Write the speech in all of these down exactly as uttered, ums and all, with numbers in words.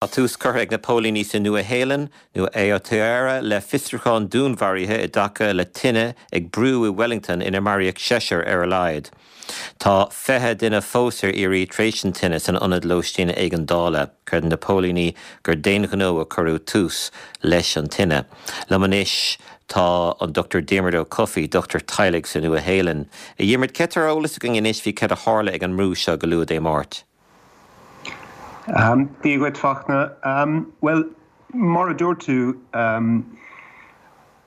Tá tús curtha ag na póilíní sa Nua-Shéalainn nó Aotearoa le fiosrúchán dúnmharaithe i dtaca le tine ag brú i Wellington inar maraíodh seisear ar a laghad. Tá fiche duine fós ar iarraidh tar éis an tine san ionad lóistín éigeandála. Creideann na póilíní gur d'aon ghnó a cuireadh tús leis an tine. Liom anois tá an Doctor Diarmuid Ó Cofaigh, dochtúir teaghlaigh sa Nua-Shéalainn. A Dhiarmuid, cad tá ar eolas againn anois faoi cad a tharla ag an mbrú seo go luath Dé Máirt? Um, Dia dhuit, Fachtna. Um, well, mar a dúirt tú, um,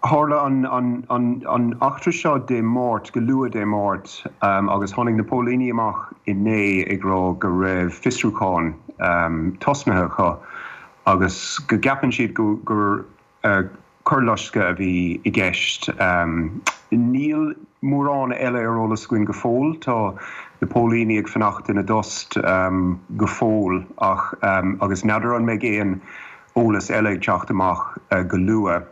tharla an, an, an, an eachtra seo Dé Máirt, go luath Dé Máirt, um, agus tháinig na póilíní amach inné ag rá go raibh fiosrúchán um, tosnaithe acu agus go gceapann siad go, gur uh, coirloisceadh a bhí i gceist. Um, níl mórán eile ar eolas againn go fóill, tá na póilíní ag fanacht ina dtost um, go fóill ach um, agus n'fheadar an mbeidh aon eolas eile ag teacht amach uh, go luath.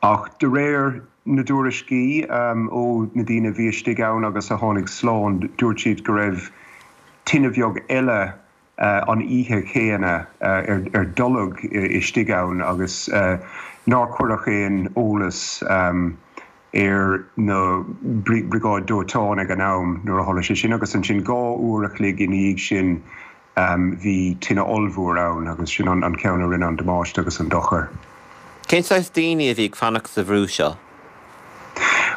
Ach de réir na dtuairiscí um, ó na daoine a bhí istigh ann agus a tháinig slán, dúirt siad go raibh tine bheag eile uh, an oíche chéanna uh, ar, ar dtolg istigh ann agus uh, nár cuireadh aon eolas um, ar na briogáid dóiteáin ag an am nuair a tharla sé sin agus ansin dhá uair a chloig ina dhiaidh sin um, bhí tine ollmhór ann agus sin an, an ceann a rinne an damáiste agus an dochar. Cén saghas daoine a bhí ag fanacht sa bhrú seo?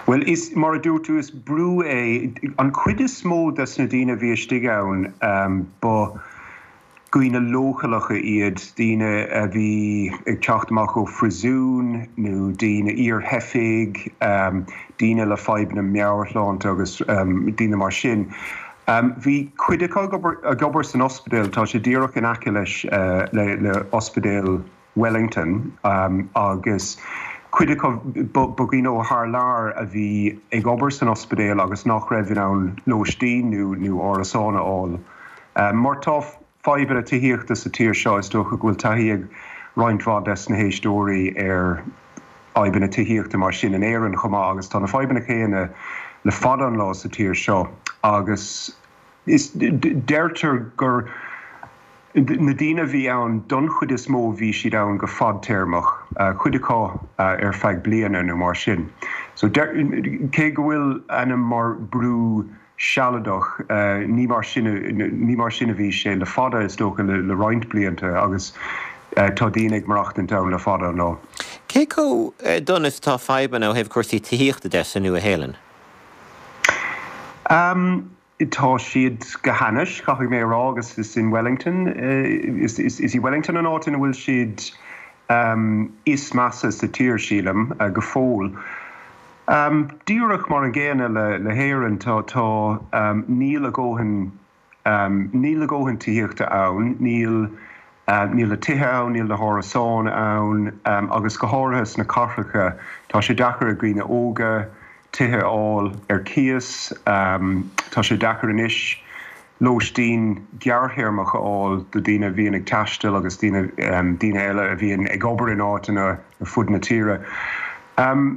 Well, is mar a dúirt tú, is brú é. An chuid is mó des na daoine a bhí istigh ann um, ba dhaoine leochaileacha iad, daoine a bhí ag teacht amach ó phríosún nó daoine iar-theifigh, um, daoine le fadhbanna meabhairshláinte agus um, daoine mar sin. Um, bhí cuid acu ag obair, ag obair san ospidéal, tá sé díreach in aice leis uh, le, le ospidéal Wellington um, agus cuid acu ba dhaoine ó thar lear a bhí ag obair san ospidéal agus nach raibh in ann lóistín nó nó árasán a fháil. Um, mar tá fadhbanna tithíochta sa tír seo, is dócha go bhfuil taithí ag roinnt mhaith des na héisteoirí ar fhadhbanna tithíochta mar sin in Éirinn chomh maith agus tá na fadhbanna céanna le fada an lá sa tír seo agus is deirtear gur na daoine a bhí ann don chuid is mó bhí siad ann go fadtéarmach, cuid acu ar feadh bliana nó mar sin. So cé go bhfuil ainm mar brú sealadach, ní mar sin ní mar sin a bhí sé le fada, is dócha le, le roinnt blianta agus tá daoine ag maireachtaint ann le fada an lá. Cé chomh dona is atá fadhbanna ó thaobh cúrsaí tithíochta de sa Nua-Shéalainn? Um, tá siad go hainnis, caithfidh mé a rá, agus is in Wellington, is, is, is í Wellington an áit ina bhfuil siad um, is measa sa tír, sílim, uh, go fóill. Um, díreach mar an gcéanna le, le hÉirinn, tá tá um, níl a dhóthain um, níl a dhóthain tithíochta ann, níl uh, níl na tithe ann, níl na hárasáin ann um, agus go háirithe sna cathracha tá sé deacair ag daoine óga tithe a fháil ar cíos, um, tá sé deacair anois lóistín gearrthéarmach a fháil do daoine a bhíonn ag taisteal agus daoine um, daoine eile a bhíonn ag obair in áiteanna ar fud na tíre. Um,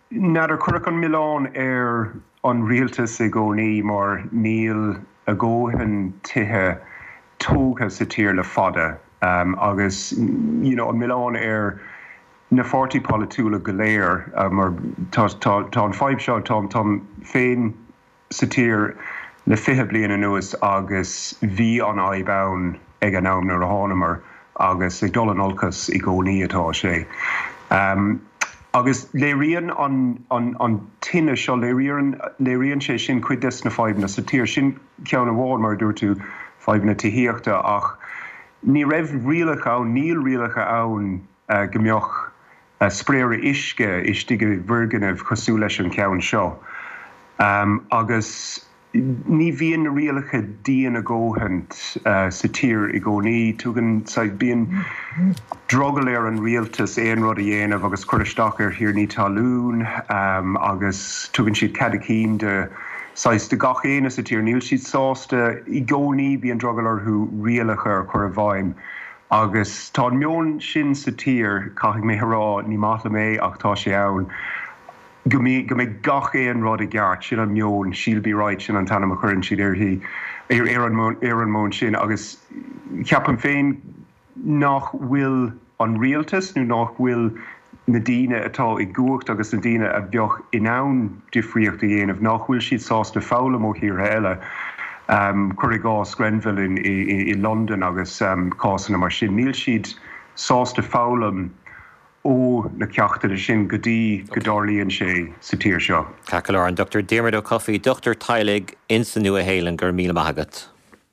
N'fheadar, cuireadh an milleán ar an rialtas i gcónaí mar níl a dhóthain tithe tógtha sa tír le fada um, agus you know, an milleán ar na pháirtithe polaitiúla go léir uh, mar tá, tá, tá an fadhb seo, tá táim féin sa tír le fiche bliain anuas agus bhí an fhadhb ann ag an am nuair a thánamar agus ag dul in olcas i gcónaí atá sé. Um, agus léiríonn an, an, an tine seo, léiríonn, léiríonn sé sin cuid des na fadhbanna sa tír. Sin ceann amháin, mar a dúirt tú, fadhbanna tithíochta, ach ní raibh rialacha ann, níl rialacha ann uh, go mbeadh uh, spraeire uisce istigh i bhfoirgnimh cosúil leis an ceann seo. Um, agus ní bhíonn na rialacha dian a dhóthain uh, sa tír i gcónaí. Tugann bíonn drogall ar an rialtas aon rud a dhéanamh agus cur isteach ar thiarnaí talún um, agus tugann siad cead a gcinn de saghas de gach éinne sa tír. Níl siad sásta i gcónaí, bíonn drogall orthu rialacha a chur i bhfeidhm. Agus tá an meon sin sa tír, caithfidh mé a rá, ní maith liom é ach tá sé ann, go mbeidh gach aon rud i gceart, sin an meon, "She'll be right", sin an t-ainm a chuireann siad uirthi, ar an meon sin agus ceapaim féin nach bhfuil an rialtas nó nach bhfuil na daoine atá i gcumhacht agus na daoine a bheadh in ann difríocht a dhéanamh nach bhfuil siad sásta foghlaim ó thíortha eile. Um, cuir i gcás Grenfell in, i, i London agus um, cásanna mar sin. Níl siad sásta foghlaim ó na ceachtanna sin go dtí go dtarlaíonn sé sa tír seo. Ceart go leor an Dr Diarmuid Ó Cofaigh dochtúir teaghlaigh insa Nua-Shéalainn go raibh míle maith agat.